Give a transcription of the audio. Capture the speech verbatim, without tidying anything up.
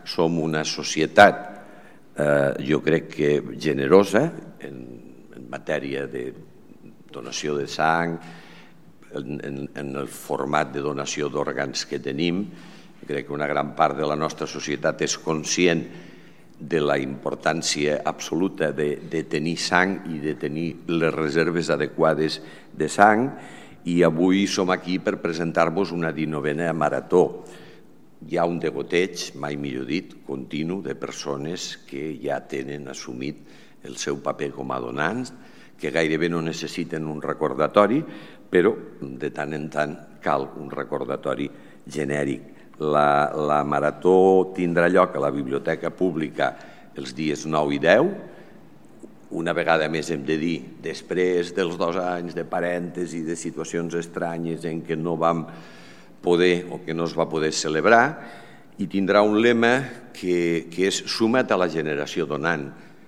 som una societat, jo crec que generosa en matèria de donació de sang, en el format de donació d'òrgans que tenim. Crec que una gran part de la nostra societat és conscient de la importància absoluta de tenir sang i de tenir les reserves adequades de sang, i avui som aquí per presentar-vos una dinovena marató. Hi ha un degoteig, mai millor dit, continu de persones que ja tenen assumit el seu paper com a donants, que gairebé no necessiten un recordatori, però de tant en tant cal un recordatori genèric. La marató tindrà lloc a la Biblioteca Pública els dies nou i deu. Una vegada més hem de dir, després dels dos anys de parèntesi, de situacions estranyes en què no vam poder o que no es va poder celebrar, i tindrà un lema que és «Suma't a la generació donant».